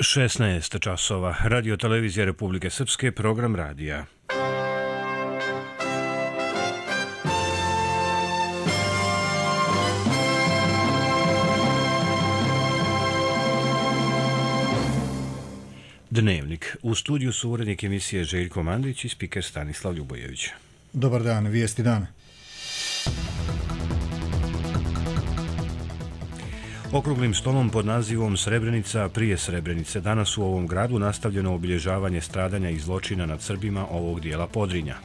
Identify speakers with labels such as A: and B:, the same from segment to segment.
A: 16 časova. Radio televizija Republike Srpske, program radija. Dnevnik. U studiju su urednik emisije Željko Mandić i spiker Stanislav Ljubojević.
B: Dobar dan, vijesti dana.
A: Okruglim stolom pod nazivom Srebrenica prije Srebrenice danas u ovom gradu nastavljeno obilježavanje stradanja i zločina nad Srbima ovog dijela Podrinja.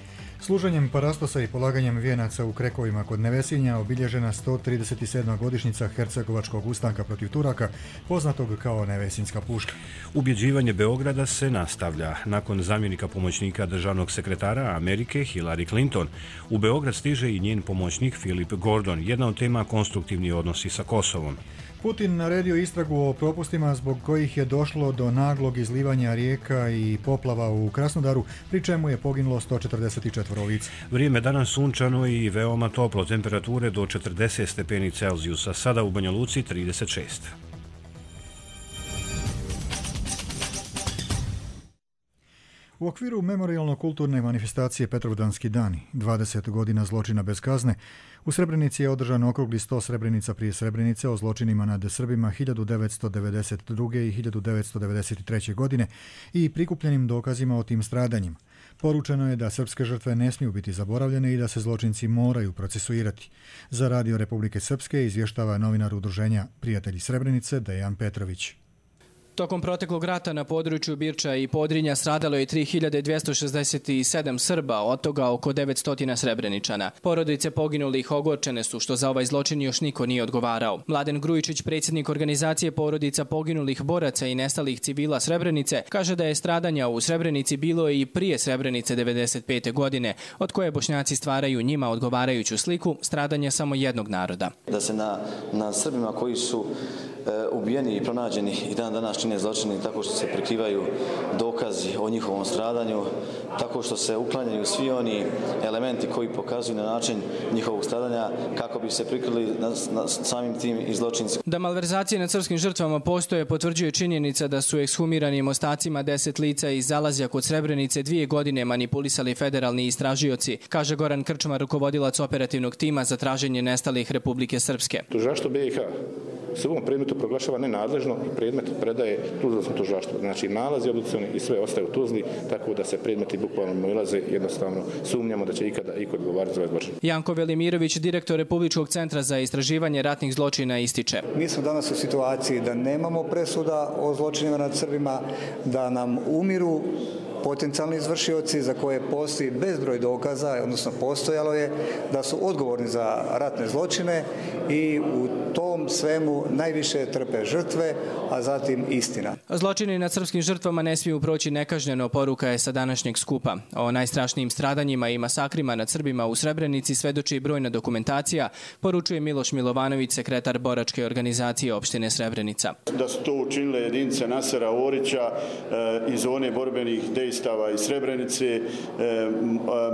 B: Služenjem parastosa i polaganjem vijenaca u Krekovima kod Nevesinja obilježena 137. godišnjica Hercegovačkog ustanka protiv Turaka, poznatog kao Nevesinjska puška.
A: Ubjeđivanje Beograda se nastavlja. Nakon zamjenika pomoćnika državnog sekretara Amerike Hillary Clinton, u Beograd stiže i njen pomoćnik Philip Gordon, jedna od tema konstruktivni odnosi sa Kosovom.
B: Putin naredio istragu o propustima zbog kojih je došlo do naglog izlivanja rijeka i poplava u Krasnodaru, pri čemu je poginulo 144 lica.
A: Vrijeme danas sunčano i veoma toplo, temperature do 40 stepeni Celzijusa, sada u Banja Luci 36.
B: U okviru memorijalno-kulturne manifestacije Petrovdanski dani, 20 godina zločina bez kazne, u Srebrenici je održan okrugli 100 Srebrenica prije Srebrenice o zločinima nad Srbima 1992. i 1993. godine i prikupljenim dokazima o tim stradanjima. Poručeno je da srpske žrtve ne smiju biti zaboravljene i da se zločinci moraju procesuirati. Za Radio Republike Srpske izvještava novinar udruženja Prijatelji Srebrenice Dejan Petrović.
C: Tokom proteklog rata na području Birča i Podrinja stradalo je 3267 Srba, od toga oko 900 Srebreničana. Porodice poginulih ogorčene su što za ovaj zločin još niko nije odgovarao. Mladen Grujičić, predsjednik organizacije porodica poginulih boraca i nestalih civila Srebrenice, kaže da je stradanja u Srebrenici bilo i prije Srebrenice 95. godine, od koje Bošnjaci stvaraju njima odgovarajuću sliku stradanja samo jednog naroda.
D: Da se na Srbima koji su ubijeni i pronađeni i dan danas čine zločini tako što se prikrivaju dokazi o njihovom stradanju, tako što se uklanjaju svi oni elementi koji pokazuju na način njihovog stradanja kako bi se prikrili samim tim i zločinci.
C: Da malverzacije nad srpskim žrtvama postoje potvrđuje činjenica da su ekshumiranim ostacima 10 lica iz Zalazja kod Srebrenice 2 godine manipulisali federalni istražioci, kaže Goran Krčmar, rukovodilac operativnog tima za traženje nestalih Republike Srpske.
E: Tužilaštvo BiH se u ovom predmetu proglašava nenadležno i predmet predaje Tuzlanskom tužilaštvu. Znači nalazi obdukcioni i sve ostaje u Tuzli, tako da se predmeti bukvalno obilaze, jednostavno sumnjamo da će ikada iko odgovarati za ovaj zločin.
C: Janko Velimirović, direktor Republičkog centra za istraživanje ratnih zločina, ističe.
F: Mi smo danas u situaciji da nemamo presuda o zločinima nad Srbima, da nam umiru potencijalni izvršioci za koje postoji bezbroj dokaza, odnosno postojalo je da su odgovorni za ratne zločine i u tom svemu najviše trpe žrtve, a zatim istina.
C: Zločini nad srpskim žrtvama ne smiju proći nekažnjeno, poruka je sa današnjeg skupa. O najstrašnijim stradanjima i masakrima nad Srbima u Srebrenici svedoči brojna dokumentacija, poručuje Miloš Milovanović, sekretar boračke organizacije opštine Srebrenica.
G: Da su to učinile jedinice Nasera Orića iz zone borbenih dejstava iz Srebrenice,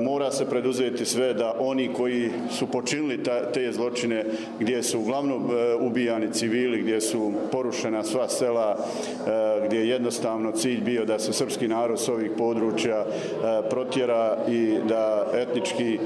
G: mora se preduzeti sve da oni koji su počinili te zločine, gdje su uglavnom ubijani civili, gdje su porušena sva sela, gdje je jednostavno cilj bio da se srpski narod s ovih područja protjera i da etnički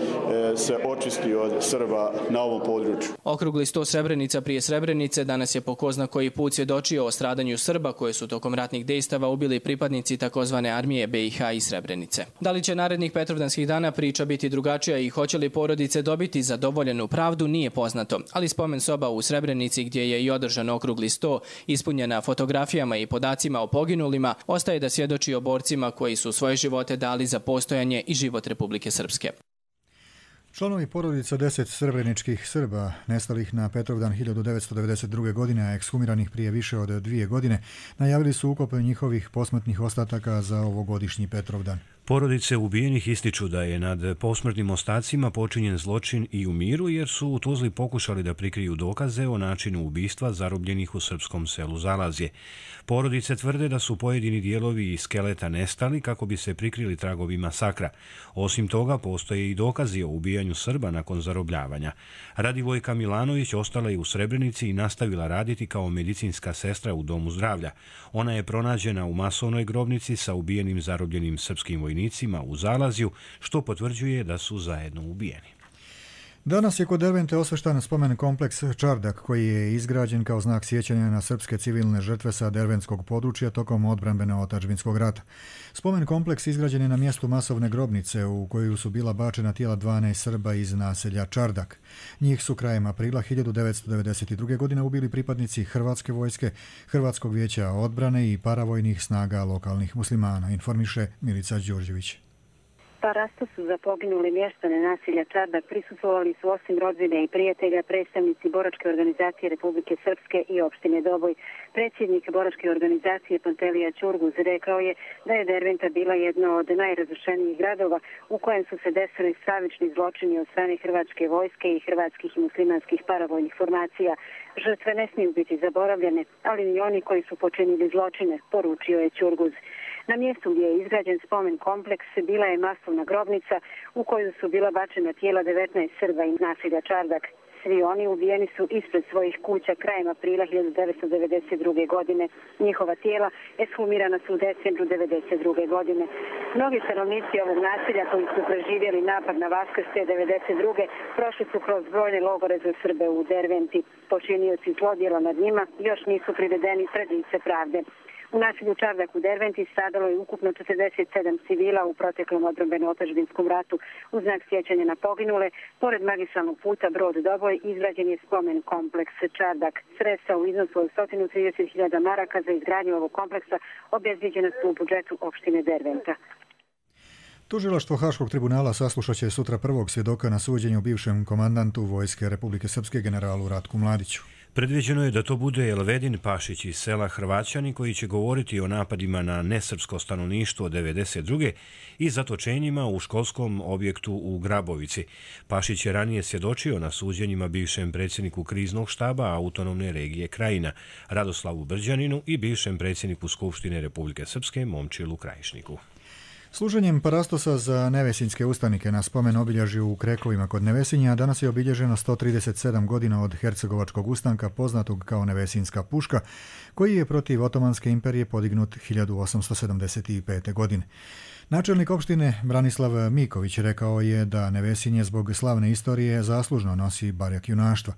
G: se očisti od Srba na ovom području.
C: Okrugli 100 Srebrenica prije Srebrenice danas je po ko zna koji put svjedočio o stradanju Srba koje su tokom ratnih dejstava ubili pripadnici takozvane armije BiH i Srebrenice. Da li će narednih Petrovdanskih dana priča biti drugačija i hoće li porodice dobiti zadovoljenu pravdu, nije poznato, ali spomen soba u Srebrenici, gdje je i održan okrugli 100, ispunjena fotografijama i podacima o poginulima, ostaje da svjedoči o borcima koji su svoje živote dali za postojanje i život Republike Srpske.
B: Članovi porodica 10 srebreničkih Srba, nestalih na Petrovdan 1992. godine, a ekshumiranih prije više od 2 godine, najavili su ukop njihovih posmrtnih ostataka za ovogodišnji Petrovdan.
A: Porodice ubijenih ističu da je nad posmrtnim ostacima počinjen zločin i u miru jer su u Tuzli pokušali da prikriju dokaze o načinu ubistva zarobljenih u srpskom selu Zalazje. Porodice tvrde da su pojedini dijelovi skeleta nestali kako bi se prikrili tragovi masakra. Osim toga, postoje i dokazi o ubijanju Srba nakon zarobljavanja. Radivojka Milanović ostala je u Srebrenici i nastavila raditi kao medicinska sestra u domu zdravlja. Ona je pronađena u masovnoj grobnici sa ubijenim zarobljenim srpskim vojnicima u Zalazju, što potvrđuje da su zajedno ubijeni.
B: Danas je kod Dervente osveštan spomen kompleks Čardak, koji je izgrađen kao znak sjećanja na srpske civilne žrtve sa derventskog područja tokom odbrambeno-otadžbinskog rata. Spomen kompleks izgrađen je na mjestu masovne grobnice u koju su bila bačena tijela 12 Srba iz naselja Čardak. Njih su krajem aprila 1992. godine ubili pripadnici Hrvatske vojske, Hrvatskog vijeća odbrane i paravojnih snaga lokalnih muslimana, informiše Milica Đurđević.
H: Parasto su za poginule mještane naselja Čardak prisustvovali su osim rodbine i prijatelja predstavnici Boračke organizacije Republike Srpske i opštine Doboj. Predsjednik Boračke organizacije Pantelija Ćurguz rekao je da je Derventa bila jedna od najrazrušenijih gradova u kojem su se desili stravični zločini od strane Hrvatske vojske i hrvatskih i muslimanskih paravojnih formacija. Žrtve ne smiju biti zaboravljene, ali i oni koji su počinili zločine, poručio je Ćurguz. Na mjestu gdje je izgrađen spomen kompleks bila je masovna grobnica u koju su bila bačena tijela 19 Srba iz naselja Čardak. Svi oni ubijeni su ispred svojih kuća krajem aprila 1992. godine. Njihova tijela ekshumirana su u decembru 1992. godine. Mnogi stanovnici ovog naselja koji su preživjeli napad na Vaskrs te 1992. prošli su kroz brojne logore za Srbe u Derventi. Počinioci zlodjela nad njima još nisu privedeni pred lice pravde. U naselju Čardak u Derventi stradalo je ukupno 47 civila u proteklom odbrambeno-otadžbinskom ratu. U znak sjećanja na poginule, pored magistralnog puta Brod-Doboj, izgrađen je spomen kompleks Čardak. Sredstva u iznosu od 130.000 maraka za izgradnju ovog kompleksa obezbijeđena su u budžetu opštine Derventa.
B: Tužilaštvo Haškog tribunala saslušat će sutra prvog svjedoka na suđenju bivšem komandantu Vojske Republike Srpske generalu Ratku Mladiću.
A: Predviđeno je da to bude Elvedin Pašić iz sela Hrvaćani koji će govoriti o napadima na nesrpsko stanovništvo 1992. i zatočenjima u školskom objektu u Grabovici. Pašić je ranije svjedočio na suđenjima bivšem predsjedniku kriznog štaba autonomne regije Krajina, Radoslavu Brđaninu i bivšem predsjedniku Skupštine Republike Srpske Momčilu Krajišniku.
B: Služenjem parastosa za nevesinjske ustanike na spomen obilježju u Krekovima kod Nevesinja danas je obilježeno 137 godina od hercegovačkog ustanka poznatog kao Nevesinjska puška, koji je protiv Otomanske imperije podignut 1875. godine. Načelnik opštine Branislav Miković rekao je da Nevesinje zbog slavne istorije zaslužno nosi barjak junaštva.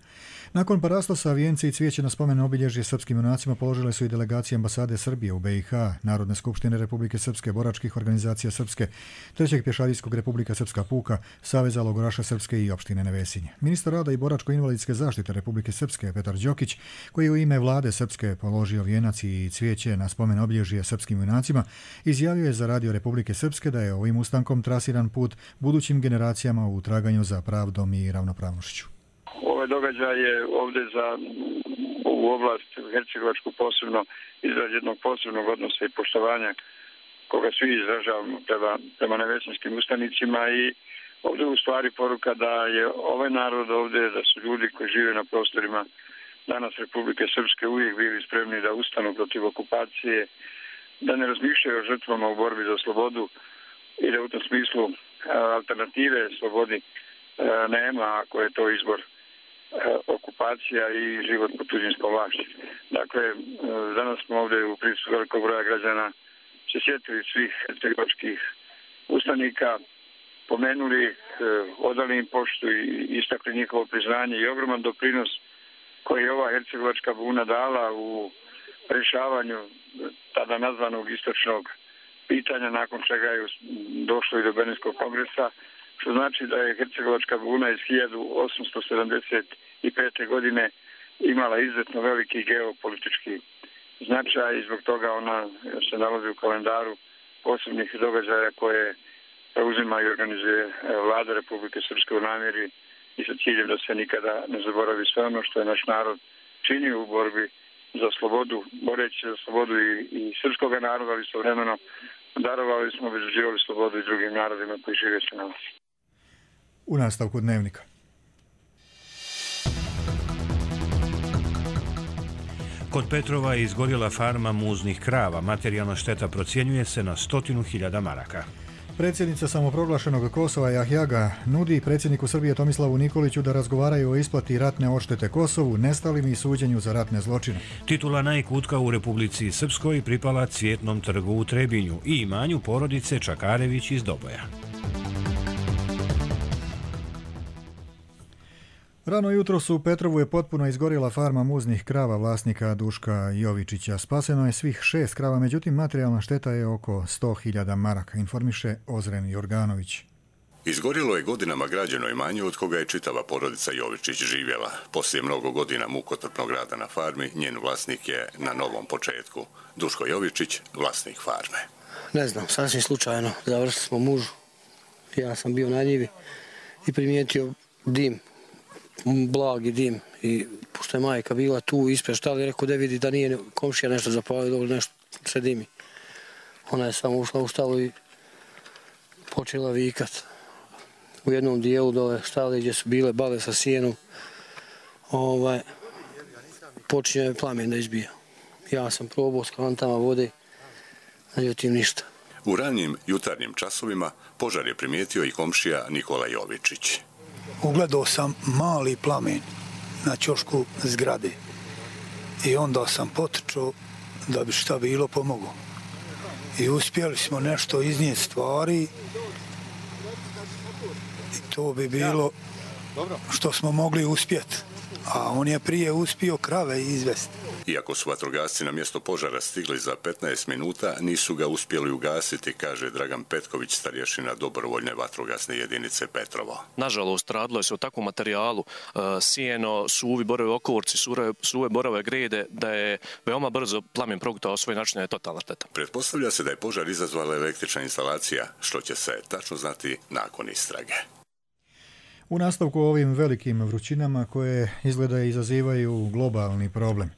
B: Nakon parastosa vijenci i cvijeće na spomen obilježje srpskim junacima položile su i delegacije ambasade Srbije u BiH, Narodne skupštine Republike Srpske, boračkih organizacija Srpske, Trećeg pješadijskog Republika Srpska puka, Saveza logoraša Srpske i opštine Nevesinje. Ministar rada i boračko-invalidske zaštite Republike Srpske Petar Đokić, koji je u ime vlade Srpske položio vijenac i cvijeće na spomen obilježje srpskim junacima, izjavio je za Radio Republike Srpske da je ovim ustankom trasiran put budućim generacijama u traganju za pravdom i ravnopravnošću.
I: Ovaj događaj je ovdje za ovu oblast hercegovačku posebno izraz jednog posebnog odnosa i poštovanja koga svi izražavamo prema nevesinskim ustanicima i ovdje u stvari poruka da je ovaj narod ovdje, da su ljudi koji žive na prostorima danas Republike Srpske uvijek bili spremni da ustanu protiv okupacije, da ne razmišljaju o žrtvama u borbi za slobodu i da u tom smislu alternative slobodi nema ako je to izbor okupacija i život pod tuđinskom vlašću. Dakle, danas smo ovdje u prisustvu velikog broja građana se sjetili svih hercegovačkih ustanika, pomenuli, odali im poštu i istakli njihovo priznanje i ogroman doprinos koji je ova hercegovačka buna dala u rješavanju tada nazvanog istočnog pitanja, nakon čega je došlo i do Berlinskog kongresa, što znači da je hercegovačka buna iz 1875. godine imala izuzetno veliki geopolitički značaj i zbog toga ona se nalazi u kalendaru posebnih događaja koje preuzima i organizuje vlada Republike Srpske u namjeri i sa ciljem da se nikada ne zaboravi sve ono što je naš narod činio u borbi za slobodu, boreći za slobodu i srpskog naroda, ali istovremeno darovali smo, obezbeđivali slobodu i drugim narodima koji žive sa nama.
B: U nastavku Dnevnika.
A: Kod Petrova je izgorjela farma muznih krava. Materijalna šteta procjenjuje se na 100.000 maraka.
B: Predsjednica samoproglašenog Kosova Jahjaga nudi predsjedniku Srbije Tomislavu Nikoliću da razgovaraju o isplati ratne odštete Kosovu, nestalim i suđenju za ratne zločine.
A: Titula najkutka u Republici Srpskoj pripala Cvjetnom trgu u Trebinju i imanju porodice Čakarević iz Doboja.
B: Rano jutro u Petrovu je potpuno izgorjela farma muznih krava vlasnika Duška Jovičića. Spaseno je svih 6 krava, međutim materijalna šteta je oko 100.000 maraka, informiše Ozren Jorganović.
J: Izgorjelo je godinama građeno imanje od koga je čitava porodica Jovičić živjela. Poslije mnogo godina mukotrpnog rada na farmi, njen vlasnik je na novom početku. Duško Jovičić, vlasnik farme.
K: Ne znam, sasvim slučajno. Završili smo mužu. Ja sam bio na njivi i primijetio dim. Blagi dim i pošto je majka bila tu ispred štali, rekao da vidi da nije komšija nešto zapalio, nešto se dimi. Ona je samo ušla u štalu i počela vikat. U jednom dijelu dole štali gdje su bile bale sa sijenom, počinje plamen da izbija. Ja sam probao s kantama vode, međutim ništa.
J: U ranijim jutarnjim časovima požar je primijetio i komšija Nikola Jovičić.
L: Ugledao sam mali plamen na ćošku zgrade i onda sam potrčao da bi šta bilo pomogao. I uspjeli smo nešto iznijeti stvari i to bi bilo što smo mogli uspjeti. A on je prije uspio krave izvesti.
J: Iako su vatrogasci na mjesto požara stigli za 15 minuta, nisu ga uspjeli ugasiti, kaže Dragan Petković, starješina dobrovoljne vatrogasne jedinice Petrovo.
M: Nažalost, radilo se o takvom materijalu, sijeno, suvi borovi okovorci, suve borove grede, da je veoma brzo plamen progutao svoj način, je totalna šteta.
J: Pretpostavlja se da je požar izazvala električna instalacija, što će se tačno znati nakon istrage.
B: U nastavku ovim velikim vrućinama koje izgleda izazivaju globalni problem.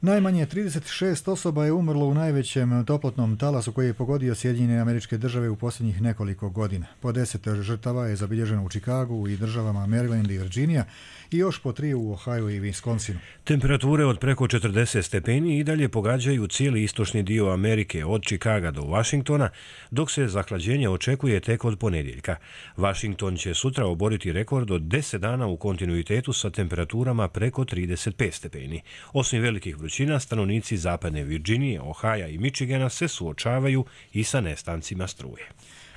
B: Najmanje 36 osoba je umrlo u najvećem toplotnom talasu koji je pogodio Sjedinjene Američke Države u posljednjih nekoliko godina. Po 10 žrtava je zabilježeno u Chicagu i državama Maryland i Virginia i još po 3 u Ohio i Wisconsinu.
A: Temperature od preko 40 stepeni i dalje pogađaju cijeli istočni dio Amerike od Chicaga do Washingtona, dok se zahlađenje očekuje tek od ponedjeljka. Washington će sutra oboriti rekord od 10 dana u kontinuitetu sa temperaturama preko 35 stepeni. Osim velikih vrućina, stanovnici zapadne Virginije, Ohaja i Michigana se suočavaju i sa nestancima struje.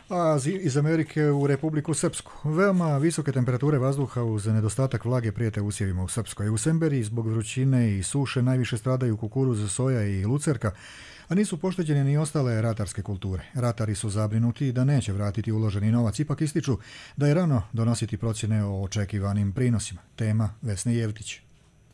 B: A iz Amerike u Republiku Srpsku. Veoma visoke temperature vazduha uz nedostatak vlage prijete usjevima u Srpskoj. U Semberiji zbog vrućine i suše najviše stradaju kukuruz, soja i lucerka, a nisu pošteđene ni ostale ratarske kulture. Ratari su zabrinuti da neće vratiti uloženi novac, ipak ističu da je rano donositi procjene o očekivanim prinosima. Tema Vesne Jevtić.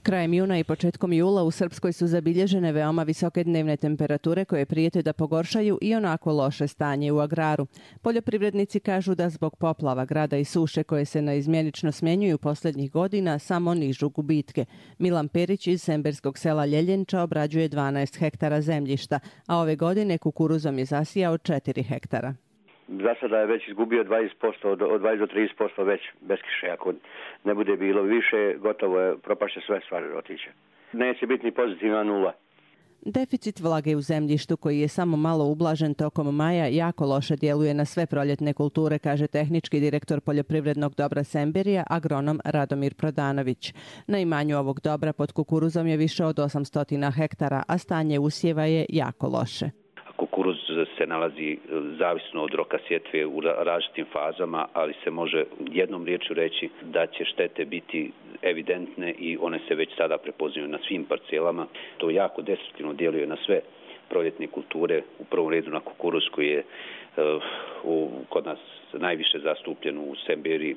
N: Krajem juna i početkom jula u Srpskoj su zabilježene veoma visoke dnevne temperature koje prijete da pogoršaju i onako loše stanje u agraru. Poljoprivrednici kažu da zbog poplava, grada i suše koje se neizmjenično smjenjuju posljednjih godina samo nižu gubitke. Milan Perić iz semberskog sela Ljeljenča obrađuje 12 hektara zemljišta, a ove godine kukuruzom je zasijao 4 hektara.
O: Za sada je već izgubio 20%, od 20 do 30% već bez kiše. Ako ne bude bilo više, gotovo je, propašće sve stvari otiće. Neće biti ni pozitivna nula.
N: Deficit vlage u zemljištu koji je samo malo ublažen tokom maja jako loše djeluje na sve proljetne kulture, kaže tehnički direktor poljoprivrednog dobra Semberija, agronom Radomir Prodanović. Na imanju ovog dobra pod kukuruzom je više od 800 hektara, a stanje usjeva je jako loše.
P: Kukuruz se nalazi zavisno od roka sjetve u različitim fazama, ali se može jednom riječju reći da će štete biti evidentne i one se već sada prepoznaju na svim parcelama. To jako destruktivno djeluje na sve proljetne kulture, u prvom redu na kukuruz koji je kod nas najviše zastupljen u Semberiji,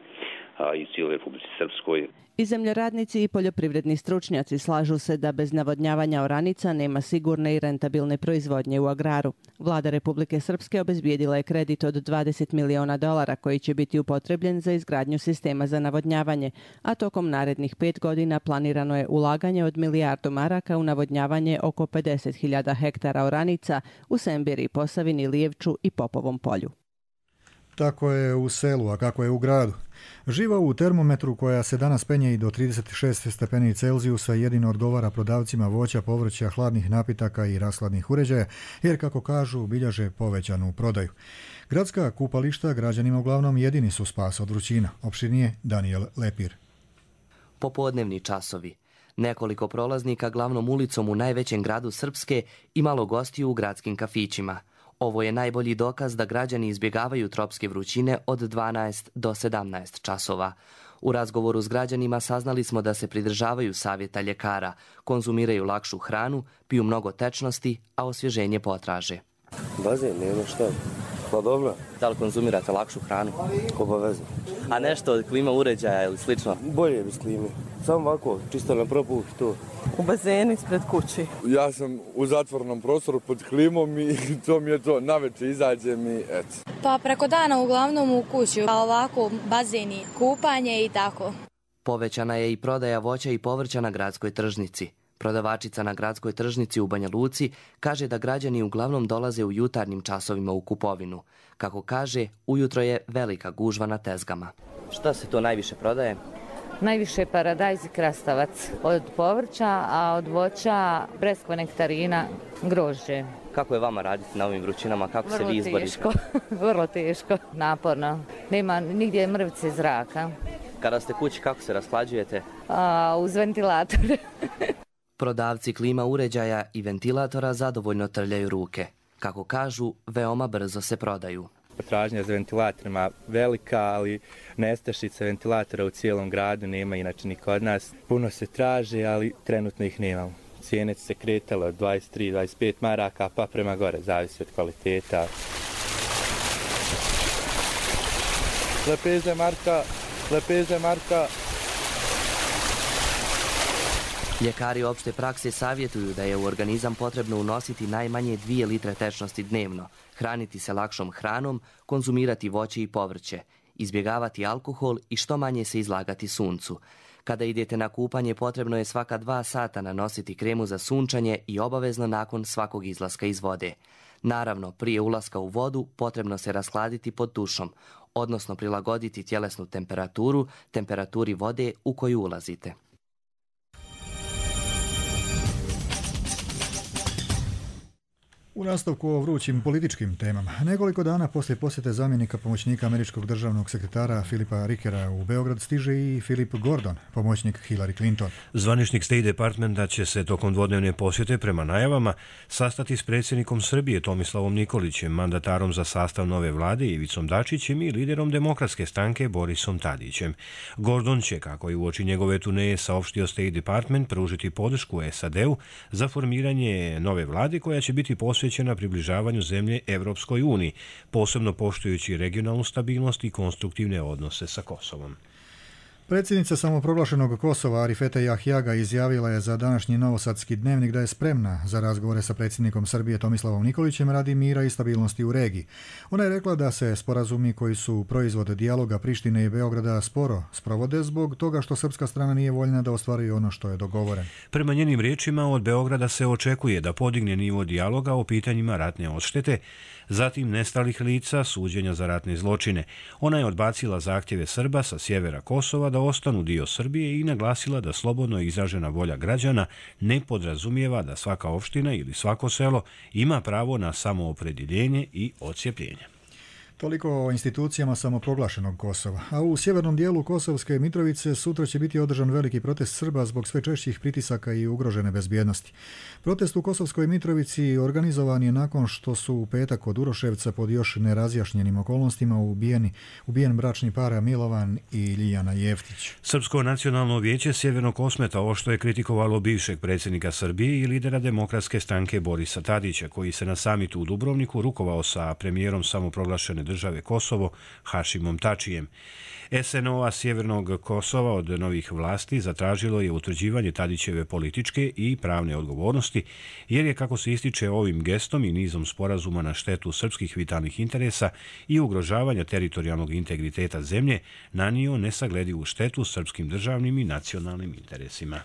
P: a i cijeloj Republici Srpskoj.
N: I zemljoradnici i poljoprivredni stručnjaci slažu se da bez navodnjavanja oranica nema sigurne i rentabilne proizvodnje u agraru. Vlada Republike Srpske obezbijedila je kredit od $20 miliona koji će biti upotrebljen za izgradnju sistema za navodnjavanje, a tokom narednih 5 godina planirano je ulaganje od milijardu maraka u navodnjavanje oko 50.000 hektara oranica u Sembiri, Posavini, Lijevču i Popovom polju.
B: Tako je u selu, a kako je u gradu. Živa u termometru koja se danas penje i do 36 stepeni Celzijusa jedino odgovara prodavcima voća, povrća, hladnih napitaka i rashladnih uređaja, jer kako kažu bilježe povećanu prodaju. Gradska kupališta građanima uglavnom jedini su spas od vrućina. Opširnije Daniel Lepir.
Q: Popodnevni časovi. Nekoliko prolaznika glavnom ulicom u najvećem gradu Srpske i malo gostiju u gradskim kafićima. Ovo je najbolji dokaz da građani izbjegavaju tropske vrućine od 12 do 17 časova. U razgovoru s građanima saznali smo da se pridržavaju savjeta ljekara, konzumiraju lakšu hranu, piju mnogo tečnosti, a osvježenje potraže.
R: Bazen, nema šta. Pa dobro.
Q: Da li konzumirate lakšu hranu?
R: Obavezno.
Q: A nešto od klima uređaja ili slično?
R: Bolje bez klime. Samo ovako, čisto na propuh to.
S: U bazenu ispred kući.
T: Ja sam u zatvornom prostoru pod klimom i to mi je to. Navečer izađem i eto.
U: Pa preko dana uglavnom u kući, a ovako bazeni, kupanje i tako.
Q: Povećana je i prodaja voća i povrća na gradskoj tržnici. Prodavačica na gradskoj tržnici u Banja Luci kaže da građani uglavnom dolaze u jutarnjim časovima u kupovinu. Kako kaže, ujutro je velika gužva na tezgama. Šta se to najviše prodaje?
V: Najviše paradajz i krastavac od povrća, a od voća breskva, nektarina, grožđe.
Q: Kako je vama raditi na ovim vrućinama? Kako se vi izborite?
V: Vrlo teško, naporno. Nema nigdje mrvice zraka.
Q: Kada ste kući, kako se rashlađujete?
V: Uz ventilator.
Q: Prodavci klima uređaja i ventilatora zadovoljno trljaju ruke. Kako kažu, veoma brzo se prodaju.
W: Potražnja za ventilatorima velika, ali nestašica ventilatora u cijelom gradu nema inače ni kod nas. Puno se traže, ali trenutno ih nemamo. Cijene se kretale od 23-25 maraka, pa prema gore, zavisi od kvaliteta. Lepeze marka.
Q: Ljekari opšte prakse savjetuju da je u organizam potrebno unositi najmanje 2 litre tečnosti dnevno, hraniti se lakšom hranom, konzumirati voće i povrće, izbjegavati alkohol i što manje se izlagati suncu. Kada idete na kupanje, potrebno je svaka 2 sata nanositi kremu za sunčanje i obavezno nakon svakog izlaska iz vode. Naravno, prije ulaska u vodu potrebno se rashladiti pod tušom, odnosno prilagoditi tjelesnu temperaturu, temperaturi vode u koju ulazite.
B: U nastavku o vrućim političkim temama. Nekoliko dana poslije posjete zamjenika pomoćnika američkog državnog sekretara Filipa Rickera u Beograd stiže i Philip Gordon, pomoćnik Hillary Clinton.
A: Zvaničnik State Departmenta će se tokom dvodnevne posjete prema najavama sastati s predsjednikom Srbije Tomislavom Nikolićem, mandatarom za sastav nove vlade Ivicom Dačićem i liderom Demokratske stranke Borisom Tadićem. Gordon će, kako i uoči njegove turneje saopštio State Department, pružiti podršku SAD-u za formiranje nove vlade koja će biti posvećena na približavanju zemlje Evropskoj uniji, posebno poštujući regionalnu stabilnost i konstruktivne odnose sa Kosovom.
B: Predsjednica samoproglašenog Kosova Arifeta Jahjaga izjavila je za današnji Novosadski dnevnik da je spremna za razgovore sa predsjednikom Srbije Tomislavom Nikolićem radi mira i stabilnosti u regiji. Ona je rekla da se sporazumi koji su proizvod dijaloga Prištine i Beograda sporo sprovode zbog toga što srpska strana nije voljna da ostvari ono što je dogovoreno.
A: Prema njenim riječima, od Beograda se očekuje da podigne nivo dijaloga o pitanjima ratne odštete, zatim nestalih lica, suđenja za ratne zločine. Ona je odbacila zahtjeve Srba sa sjevera Kosova da ostanu dio Srbije i naglasila da slobodno izražena volja građana ne podrazumijeva da svaka opština ili svako selo ima pravo na samoopredjeljenje i odcijepljenje.
B: Toliko o institucijama samoproglašenog Kosova. A u sjevernom dijelu Kosovske Mitrovice sutra će biti održan veliki protest Srba zbog sve češćih pritisaka i ugrožene bezbjednosti. Protest u Kosovskoj Mitrovici organizovan je nakon što su u petak od Uroševca pod još nerazjašnjenim okolnostima ubijen bračni par Milovan i Ljiljana Jeftić.
A: Srpsko nacionalno vijeće Sjevernog Kosmeta oštro je kritikovalo bivšeg predsjednika Srbije i lidera Demokratske stranke Borisa Tadića, koji se na samitu u Dubrovniku rukovao sa premijerom samoproglašene države Kosovo Hašimom Tačijem. SNO-a Sjevernog Kosova od novih vlasti zatražilo je utvrđivanje Tadićeve političke i pravne odgovornosti, jer je, kako se ističe, ovim gestom i nizom sporazuma na štetu srpskih vitalnih interesa i ugrožavanja teritorijalnog integriteta zemlje nanio nesagledivu štetu srpskim državnim i nacionalnim interesima.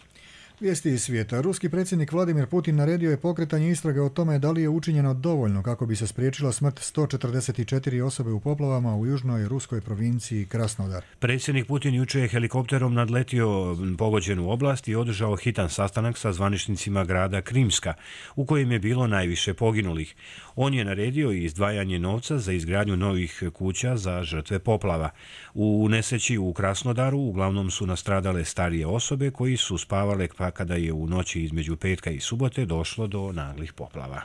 B: Vijesti iz svijeta. Ruski predsjednik Vladimir Putin naredio je pokretanje istrage o tome da li je učinjeno dovoljno kako bi se spriječila smrt 144 osobe u poplavama u južnoj ruskoj provinciji Krasnodar.
A: Predsjednik Putin juče je helikopterom nadletio pogođenu oblast i održao hitan sastanak sa zvaničnicima grada Krimska, u kojem je bilo najviše poginulih. On je naredio i izdvajanje novca za izgradnju novih kuća za žrtve poplava. U nesreći u Krasnodaru uglavnom su nastradale starije osobe koji su spavale pa kada je u noći između petka i subote došlo do naglih poplava.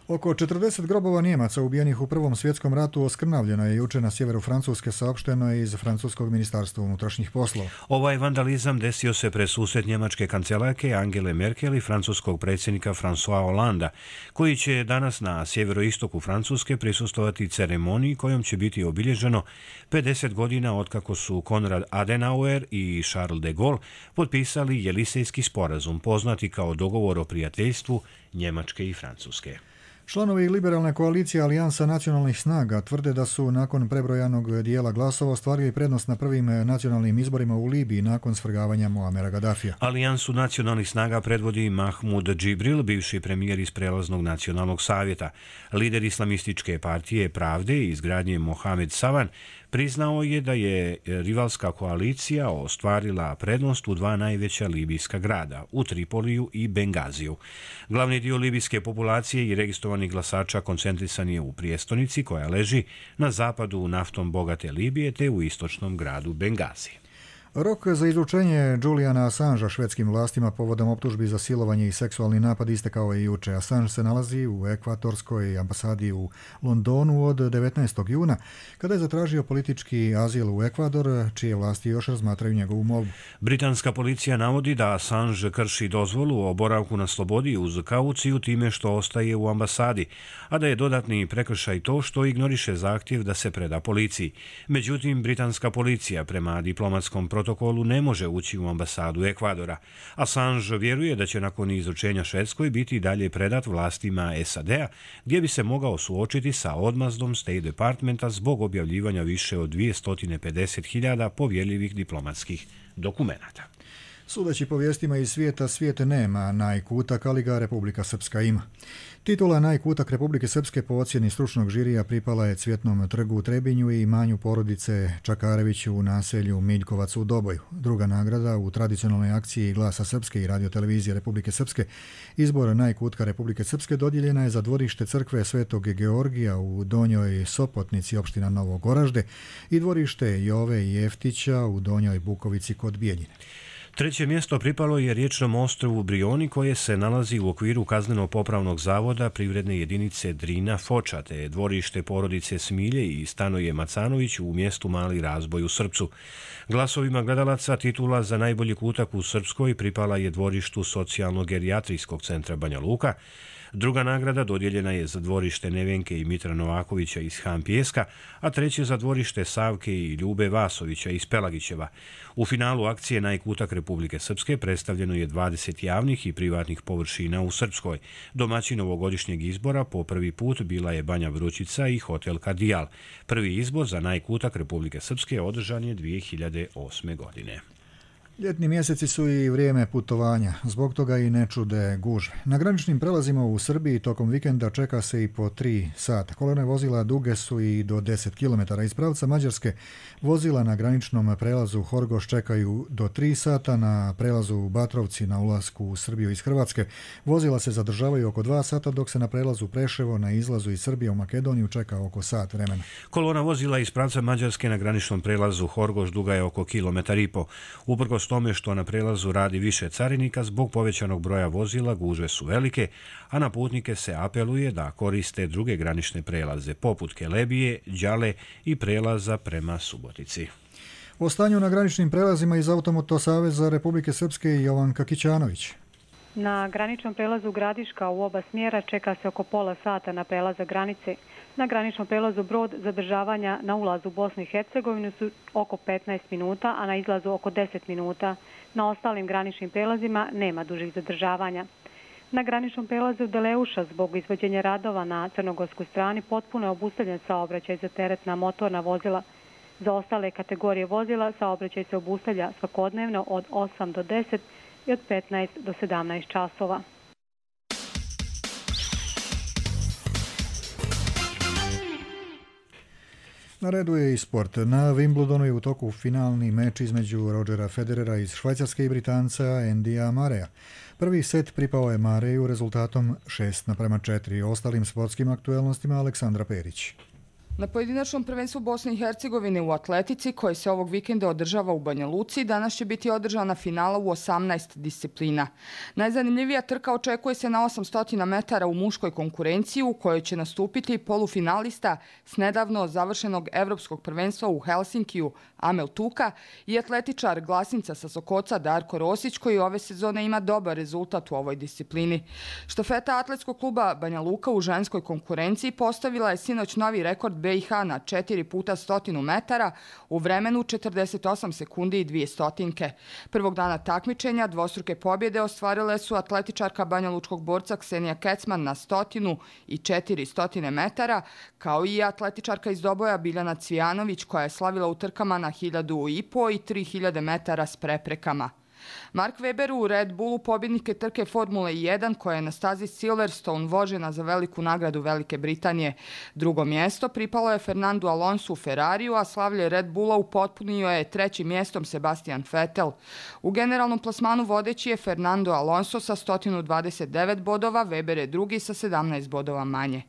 B: Oko 40 grobova Nijemaca ubijenih u Prvom svjetskom ratu oskrnavljeno je juče na sjeveru Francuske, saopšteno je iz francuskog ministarstva unutrašnjih poslova.
A: Ovaj vandalizam desio se pred susret njemačke kancelarke Angele Merkel i francuskog predsjednika François Hollanda, koji će danas na sjeveroistoku Francuske prisustovati ceremoniji kojom će biti obilježeno 50 godina otkako su Konrad Adenauer i Charles de Gaulle potpisali Jelisejski sporazum, poznati kao dogovor o prijateljstvu Njemačke i Francuske.
B: Članovi liberalne koalicije Alijansa nacionalnih snaga tvrde da su nakon prebrojanog dijela glasova ostvarili prednost na prvim nacionalnim izborima u Libiji nakon svrgavanja Muamera Gaddafija.
A: Alijansu nacionalnih snaga predvodi Mahmud Džibril, bivši premijer iz prelaznog nacionalnog savjeta. Lider islamističke partije Pravde i izgradnje Mohamed Savan priznao je da je rivalska koalicija ostvarila prednost u dva najveća libijska grada, u Tripoliju i Bengaziju. Glavni dio libijske populacije i registrovanih glasača koncentrisan je u prijestolnici koja leži na zapadu naftom bogate Libije te u istočnom gradu Bengazi.
B: Rok za izručenje Juliana Assangea švedskim vlastima povodom optužbi za silovanje i seksualni napad istekao je juče. Assange se nalazi u ekvatorskoj ambasadi u Londonu od 19. juna, kada je zatražio politički azil u Ekvador, čije vlasti još razmatraju njegovu molbu.
A: Britanska policija navodi da Assange krši dozvolu o boravku na slobodi uz kauciju time što ostaje u ambasadi, a da je dodatni prekršaj to što ignoriše zahtjev da se preda policiji. Međutim, britanska policija prema diplomatskom protokolu ne može ući u ambasadu Ekvadora. Assange vjeruje da će nakon izručenja Švedskoj biti dalje predat vlastima SAD-a, gdje bi se mogao suočiti sa odmazdom State Departmenta zbog objavljivanja više od 250.000 povjerljivih diplomatskih dokumenata.
B: Sudeći po vijestima iz svijeta, svijet nema najkutak, ali ga Republika Srpska ima. Titula najkutak Republike Srpske po ocjeni stručnog žirija pripala je Cvjetnom trgu u Trebinju i imanju porodice Čakareviću u naselju Miljkovac u Doboju. Druga nagrada u tradicionalnoj akciji Glasa Srpske i radiotelevizije Republike Srpske, izbor najkutka Republike Srpske, dodijeljena je za dvorište crkve Svetog Georgija u Donjoj Sopotnici, opština Novo Goražde, i dvorište Jove i Jeftića u Donjoj Bukovici kod Bijeljine.
A: Treće mjesto pripalo je riječnom ostrvu Brioni, koje se nalazi u okviru kazneno-popravnog zavoda privredne jedinice Drina Foča, te dvorište porodice Smilje i Stanoje Macanović u mjestu Mali Razboj u Srpcu. Glasovima gledalaca titula za najbolji kutak u Srpskoj pripala je dvorištu socijalno-gerijatrijskog centra Banja Luka. Druga nagrada dodijeljena je za dvorište Nevenke i Mitra Novakovića iz Han Pijeska, a treće za dvorište Savke i Ljube Vasovića iz Pelagićeva. U finalu akcije Najkutak Republike Srpske predstavljeno je 20 javnih i privatnih površina u Srpskoj. Domaćin ovogodišnjeg izbora po prvi put bila je Banja Vrućica i hotel Kardijal. Prvi izbor za Najkutak Republike Srpske održan je 2008. godine.
B: Ljetni mjeseci su i vrijeme putovanja, zbog toga i ne čude gužve. Na graničnim prelazima u Srbiji tokom vikenda čeka se i po 3 sata. Kolone vozila duge su i do 10 km. Iz pravca Mađarske vozila na graničnom prelazu Horgoš čekaju do 3 sata, na prelazu u Batrovci na ulasku u Srbiju iz Hrvatske vozila se zadržavaju oko 2 sata, dok se na prelazu Preševo na izlazu iz Srbije u Makedoniju čeka oko sat vremena.
A: Kolona vozila iz pravca Mađarske na graničnom prelazu Horgoš duga je oko 1,5 km. Uprkos tome što na prelazu radi više carinika, zbog povećanog broja vozila gužve su velike, a na putnike se apeluje da koriste druge granične prelaze, poput Kelebije, Đale i prelaza prema Subotici.
B: O stanju na graničnim prelazima iz Automoto Saveza Republike Srpske Jovanka Kićanović.
D: Na graničnom prelazu Gradiška u oba smjera čeka se oko pola sata na prelazak granice. Na graničnom prelazu Brod zadržavanja na ulazu u Bosnu i Hercegovinu su oko 15 minuta, a na izlazu oko 10 minuta. Na ostalim graničnim prelazima nema dužih zadržavanja. Na graničnom prelazu Deleuša zbog izvođenja radova na crnogorskoj strani potpuno je obustavljen saobraćaj za teretna motorna vozila. Za ostale kategorije vozila saobraćaj se obustavlja svakodnevno od 8 do 10 i od 15 do 17 časova.
B: Na redu je i sport. Na Wimbledonu je u toku finalni meč između Rodgera Federera iz Švajcarske i Britanca Andyja Murraya. Prvi set pripao je Murrayu rezultatom 6:4. Ostalim sportskim aktuelnostima Aleksandra Perić.
E: Na pojedinačnom prvenstvu Bosne i Hercegovine u atletici, koji se ovog vikenda održava u Banja Luci, danas će biti održana finala u 18 disciplina. Najzanimljivija trka očekuje se na 800 metara u muškoj konkurenciji, u kojoj će nastupiti polufinalista s nedavno završenog evropskog prvenstva u Helsinkiju Amel Tuka i atletičar Glasinca sa Sokoca Darko Rosić, koji ove sezone ima dobar rezultat u ovoj disciplini. Štafeta atletskog kluba Banja Luka u ženskoj konkurenciji postavila je sinoć novi rekord BiH na 4x100 metara u vremenu 48 sekundi i 2 stotinke. Prvog dana takmičenja dvostruke pobjede ostvarile su atletičarka banjalučkog borca Ksenija Kecman na 100 i 400 metara, kao i atletičarka iz Doboja Biljana Cvijanović, koja je slavila u trkama na 1500 i 3000 metara s preprekama. Mark Webber u Red Bullu pobjednike trke Formule 1 koja je na stazi Silverstone vožena za veliku nagradu Velike Britanije. Drugo mjesto pripalo je Fernandu Alonsu u Ferrariju, a slavlje Red Bulla upotpunio je trećim mjestom Sebastian Vettel. U generalnom plasmanu vodeći je Fernando Alonso sa 129 bodova, Webber je drugi sa 17 bodova manje.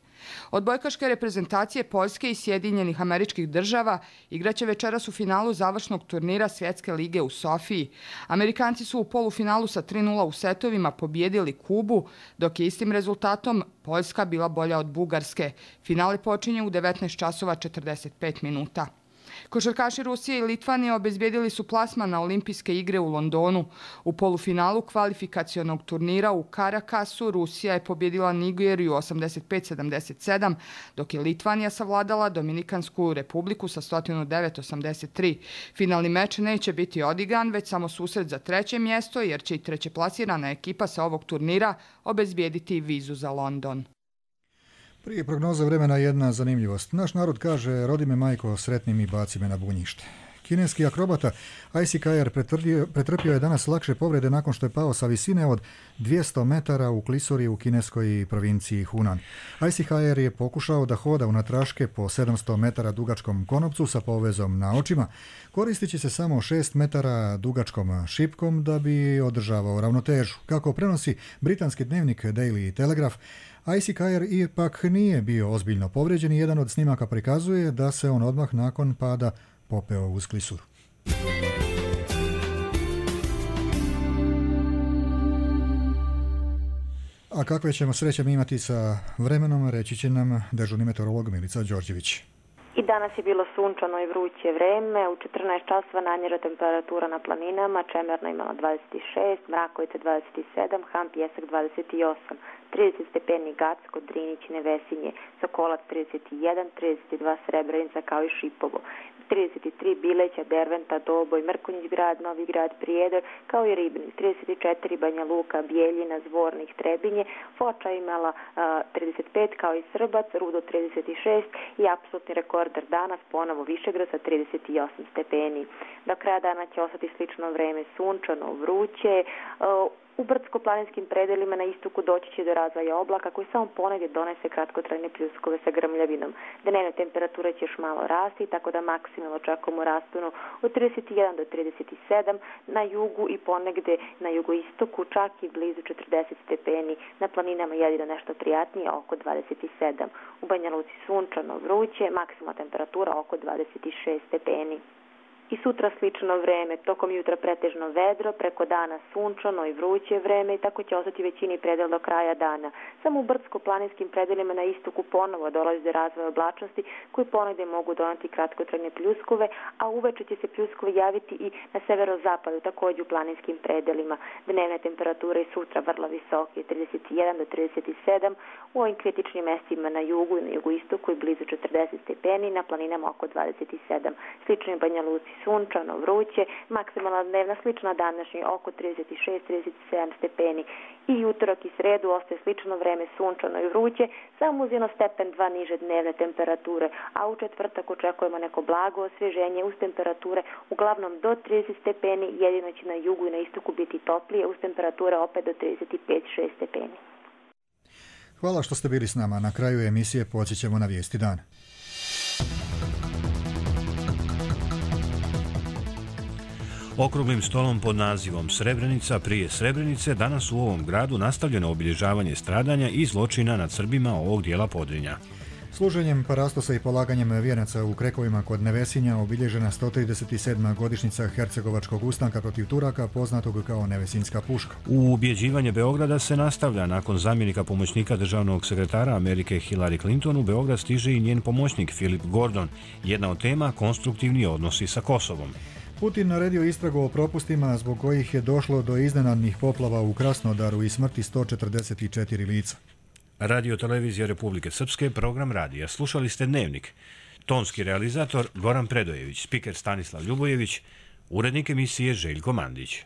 E: Odbojkaške reprezentacije Poljske i Sjedinjenih Američkih Država igraće večeras u finalu završnog turnira Svjetske lige u Sofiji. Amerikanci su u polufinalu sa 3:0 u setovima pobijedili Kubu, dok je istim rezultatom Poljska bila bolja od Bugarske. Finale počinje u 19:45 minuta. Košarkaši Rusije i Litvanije obezbijedili su plasman na Olimpijske igre u Londonu. U polufinalu kvalifikacionog turnira u Karakasu Rusija je pobjedila Nigeriju 85-77, dok je Litvanija savladala Dominikansku republiku sa 109-83. Finalni meč neće biti odigran, već samo susret za treće mjesto, jer će i trećeplasirana ekipa sa ovog turnira obezbijediti vizu za London.
B: Prije prognoza vremena jedna zanimljivost. Naš narod kaže: rodi me majko sretnim i baci me na bunjište. Kineski akrobata Aici Kajer pretrpio je danas lakše povrede nakon što je pao sa visine od 200 metara u klisuri u kineskoj provinciji Hunan. Aici Kajer je pokušao da hoda unatraške po 700 metara dugačkom konopcu sa povezom na očima, koristeći se samo 6 metara dugačkom šipkom da bi održavao ravnotežu. Kako prenosi britanski dnevnik Daily Telegraph, Aici Kajer ipak nije bio ozbiljno povrijeđen i jedan od snimaka prikazuje da se on odmah nakon pada popeo uz klisuru. A kakve ćemo sreće imati sa vremenom, reći će nam dežurni meteorolog Milica Đorđević.
F: I danas je bilo sunčano i vruće vreme. U 14 časova nanjera temperatura na planinama, Čemerna imala 26, Mrakovica 27, Ham Pjesak 28, 30 stepeni Gacko, Drinić, Nevesinje, Sokolac 31, 32 Srebrenica kao i Šipovo, 33 Bileća, Derventa, Doboj, Mrkonjić grad, Novi grad, Prijedor kao i Ribnik, 34 Banja Luka, Bijeljina, Zvornik, Trebinje, Foča imala 35 kao i Srbac, Rudo 36 i apsolutni rekorder danas ponovo Višegrad sa 38 stepeni. Do kraja dana će ostati slično vreme, sunčano, vruće. U brdsko-planinskim predelima na istoku doći će do razvoja oblaka koji samo ponegdje donese kratkotrajne pljuskove sa grmljavinom. Dnevne temperature će još malo rasti, tako da maksimalno očekujemo rasponu od 31 do 37 na jugu i ponegdje na jugoistoku, čak i blizu 40 stepeni. Na planinama jedino nešto prijatnije, oko 27. U Banja Luci sunčano, vruće, maksimalna temperatura oko 26 stepeni. I sutra slično vreme, tokom jutra pretežno vedro, preko dana sunčano i vruće vreme i tako će ostati većini predel do kraja dana. Samo u brdsko-planinskim predelima na istoku ponovo dolazi do razvoja oblačnosti koji ponegde mogu doneti kratkotrajne pljuskove, a uveče će se pljuskovi javiti i na severozapadu, također u planinskim predelima. Dnevne temperature i sutra vrlo visoke, 31 do 37, u ovim kritičnim mestima na jugu i na jugoistoku i blizu 40 stepeni, na planinama oko 27. Slično i Banja Luci sunčano, vruće, maksimalna dnevna slična današnji oko 36-37 stepeni. I utorak i sredu ostaje slično vreme sunčano i vruće, samo uz 1 stepen 2 niže dnevne temperature, a u četvrtak očekujemo neko blago osvježenje uz temperature uglavnom do 30 stepeni, jedino će na jugu i na istoku biti toplije, uz temperature opet do 35-6 stepeni.
B: Hvala što ste bili s nama. Na kraju emisije podsjećamo na vijesti dana.
A: Okruglim stolom pod nazivom Srebrenica prije Srebrenice danas u ovom gradu nastavljeno obilježavanje stradanja i zločina nad Srbima ovog dijela Podrinja.
B: Služenjem parastosa i polaganjem vijenaca u Krekovima kod Nevesinja obilježena 137. godišnjica Hercegovačkog ustanka protiv Turaka, poznatog kao Nevesinjska puška.
A: U ubjeđivanje Beograda se nastavlja. Nakon zamjenika pomoćnika državnog sekretara Amerike Hillary Clinton, u Beograd stiže i njen pomoćnik Philip Gordon. Jedna od tema konstruktivni odnosi sa Kosovom.
B: Putin naredio istragu o propustima zbog kojih je došlo do iznenadnih poplava u Krasnodaru i smrti 144 lica.
A: Radio Televizija Republike Srpske, program radija. Slušali ste Dnevnik. Tonski realizator Goran Predojević, spiker Stanislav Ljubojević, urednik emisije Željko Mandić.